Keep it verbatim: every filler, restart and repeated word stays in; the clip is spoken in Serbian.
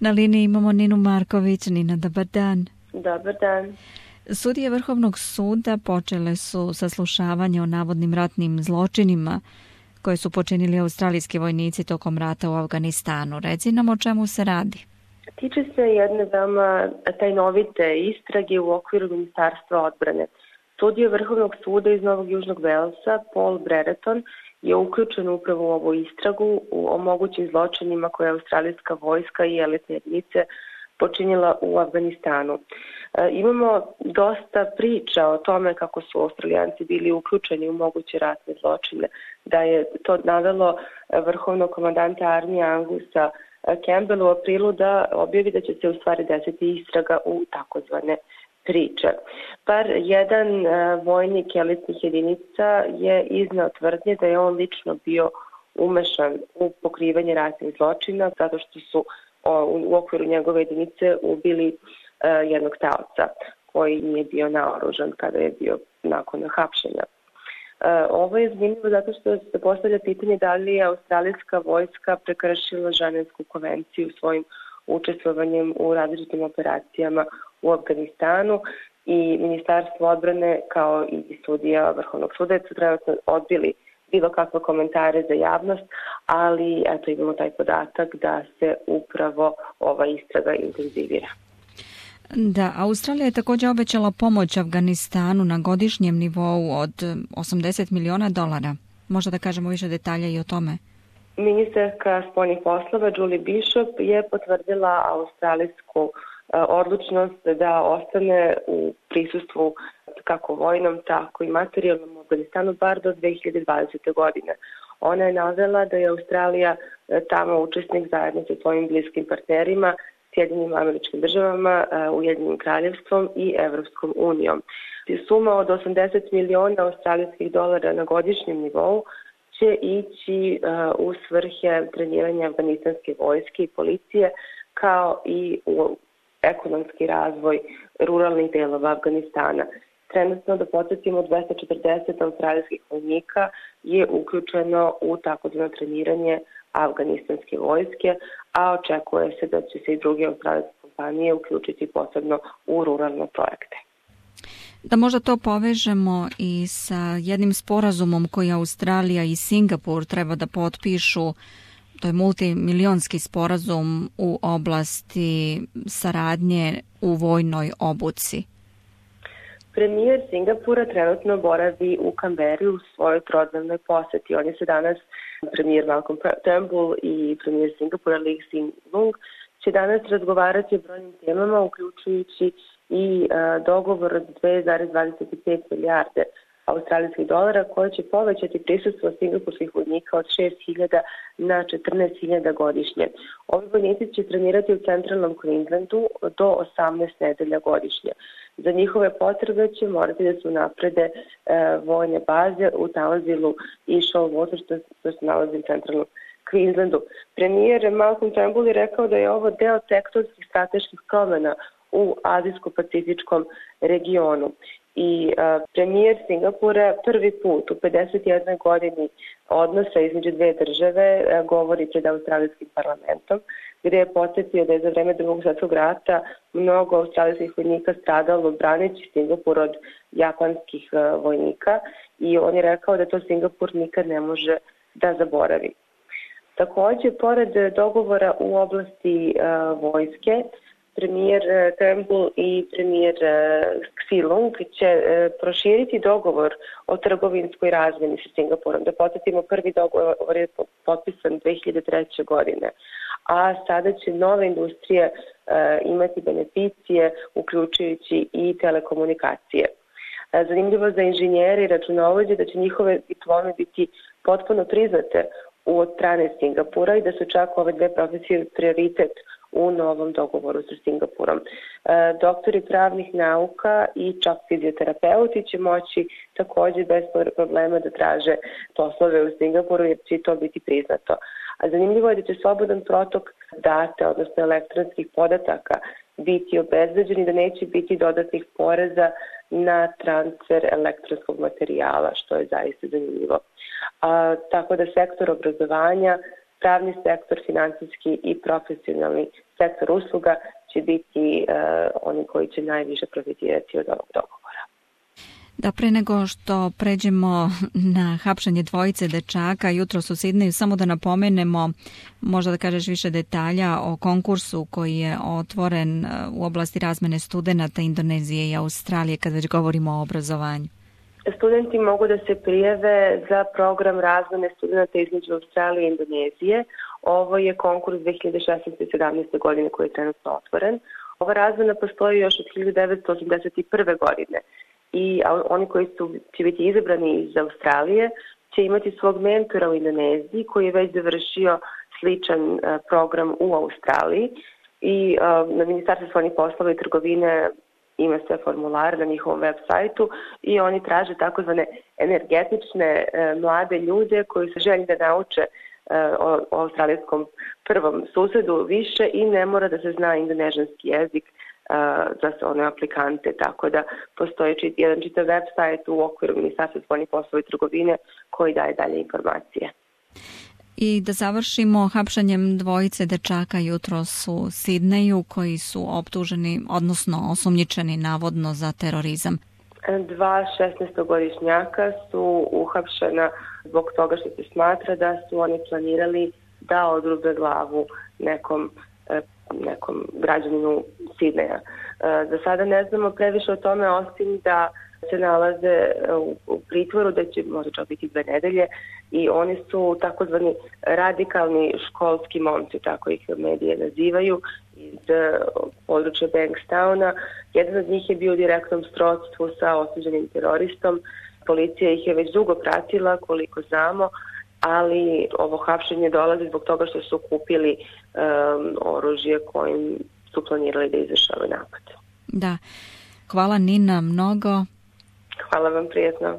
Na liniji imamo Ninu Marković. Nina, dobar dan. Dobar dan. Sudije Vrhovnog suda počele su saslušavanje o navodnim ratnim zločinima koje su počinili australijski vojnici tokom rata u Afganistanu. Reci nam o čemu se radi. Tiče se jedne veoma tajnovite istrage u okviru Ministarstva odbrane. Sudija Vrhovnog suda iz Novog Južnog Velsa, Paul Brereton, je uključen upravo u ovu istragu o mogućim zločinima koje je australijska vojska i elitne jedinice počinjela u Afganistanu. E, imamo dosta priča o tome kako su Australijanci bili uključeni u moguće ratne zločine, da je to navelo vrhovnog komandanta armije Angusa Campbell u aprilu da objavi da će se u stvari desiti istraga u takozvane priče. Par jedan uh, vojnik elitnih jedinica je izneo tvrdnje da je on lično bio umešan u pokrivanje ratnih zločina zato što su o, u okviru njegove jedinice ubili uh, jednog taoca koji nije bio naoružan kada je bio nakon hapšenja. Uh, ovo je zanimljivo zato što se postavlja pitanje da li je australijska vojska prekršila Ženevsku konvenciju svojim učestvovanjem u različitim operacijama u Afganistanu i Ministarstvo odbrane kao i sudija Vrhovnog suda su trenutno odbili bilo kakve komentare za javnost, ali eto imamo taj podatak da se upravo ova istraga intenzivira. Da, Australija je također obećala pomoć Afganistanu na godišnjem nivou od osamdeset miliona dolara. Možda da kažemo više detalja i o tome. Ministarka spoljnih poslova Julie Bishop je potvrdila australijsku odlučnost da ostane u prisustvu kako vojnom, tako i materijalnom u Afganistanu bar do dve hiljade dvadesete. godine. Ona je navela da je Australija tamo učesnik zajedno sa svojim bliskim partnerima, Sjedinjenim Američkim Državama, Ujedinjenim Kraljevstvom i Evropskom unijom. Suma od osamdeset miliona australijskih dolara na godišnjem nivou će ići uh, u svrhe treniranja afganistanske vojske i policije kao i u ekonomski razvoj ruralnih delova Afganistana. Trenutno, da podsjetimo, dvesta četrdeset australijskih vojnika je uključeno u takozvano treniranje afganistanske vojske, a očekuje se da će se i druge australijske kompanije uključiti posebno u ruralne projekte. Da možda to povežemo i sa jednim sporazumom koji Australija i Singapur treba da potpišu, to je multimilionski sporazum u oblasti saradnje u vojnoj obuci. Premijer Singapura trenutno boravi u Kamberi u svojoj trodnevnoj poseti. On je se danas, premijer Malcolm Turnbull i premijer Singapura Lee Hsien Loong, će danas razgovarati o brojnim temama, uključujući i uh, dogovor od dve zarez dvadeset pet milijarde australijskih dolara koje će povećati prisustvo singapurskih vojnika od šest hiljada na četrnaest hiljada godišnje. Ovi vojnici će trenirati u centralnom Queenslandu do osamnaest nedelja godišnje. Za njihove potrebe će morati da su naprede e, vojne baze u Townsville i Shoalwater, što, što se nalazi u centralnom Queenslandu. Premijer Malcolm Turnbull je rekao da je ovo deo tektonskih strateških promena u azijsko-pacifičkom regionu. I uh, premijer Singapura prvi put u pedeset jednoj godini odnosa između dve države uh, govori pred australijskim parlamentom, gdje je podsjetio da je za vreme Drugog svjetskog rata mnogo australijskih vojnika stradalo braneći Singapur od japanskih uh, vojnika i on je rekao da to Singapur nikad ne može da zaboravi. Također, pored dogovora u oblasti uh, vojske, premijer Turnbull i premijer Hsien Loong će proširiti dogovor o trgovinskoj razmjeni sa Singapurom. Da podsjetimo, prvi dogovor je potpisan dve hiljade treće. godine, a sada će nove industrije imati beneficije, uključujući i telekomunikacije. Zanimljivo za inženjere i računovođe da će njihove diplome biti potpuno priznate od strane Singapura i da su čak ove dve profesije prioritet u novom dogovoru sa Singapurom. E, doktori pravnih nauka i čak fizioterapeuti će moći također bez problema da traže poslove u Singapuru jer će to biti priznato. A zanimljivo je da će slobodan protok data, odnosno elektronskih podataka, biti obezbeđen i da neće biti dodatnih poreza na transfer elektronskog materijala, što je zaista zanimljivo. A, tako da sektor obrazovanja pravni sektor, financijski i profesionalni sektor usluga će biti uh, oni koji će najviše profitirati od ovog dogovora. Da, pre nego što pređemo na hapšenje dvojice dečaka jutros u Sidneju, samo da napomenemo, možda da kažeš više detalja o konkursu koji je otvoren u oblasti razmene studenata Indonezije i Australije, kad već govorimo o obrazovanju. Studenti mogu da se prijave za program razmene studenata između Australije i Indonezije. Ovo je konkurs dve hiljade šesnaeste. i sedamnaeste. godine koji je trenutno otvoren. Ova razmena postoji još od hiljadu devetsto osamdeset prve. godine. I oni koji su, će biti izabrani iz Australije će imati svog mentora u Indoneziji koji je već završio sličan program u Australiji i na Ministarstvu spoljnih poslova i trgovine ima sve formulare na njihovom web sajtu i oni traže takozvane energetične mlade ljude koji se žele da nauče o, o australijskom prvom susedu više i ne mora da se zna indonežanski jezik za sve one aplikante, tako da postoji čit, jedan čitav web sajt u okviru Ministarstva spoljnih poslova i trgovine koji daje dalje informacije. I da završimo hapšanjem dvojice dečaka jutros u Sidneju koji su optuženi, odnosno osumnjičeni navodno za terorizam. Dva šesnaestogodišnjaka su uhapšena zbog toga što se smatra da su oni planirali da odrube glavu nekom nekom građaninu Sidneja. Za sada ne znamo previše o tome, osim da se nalaze u pritvoru, da će možda čak biti dve nedelje i oni su takozvani radikalni školski momci, tako ih medije nazivaju, iz područja Bankstowna. Jedan od njih je bio u direktnom srodstvu sa osuđenim teroristom. Policija ih je već dugo pratila, koliko znamo, ali ovo hapšenje dolazi zbog toga što su kupili um, oružje kojim su planirali da izvršavaju napad. Da. Hvala Nina mnogo. Hvala vam, prijetno.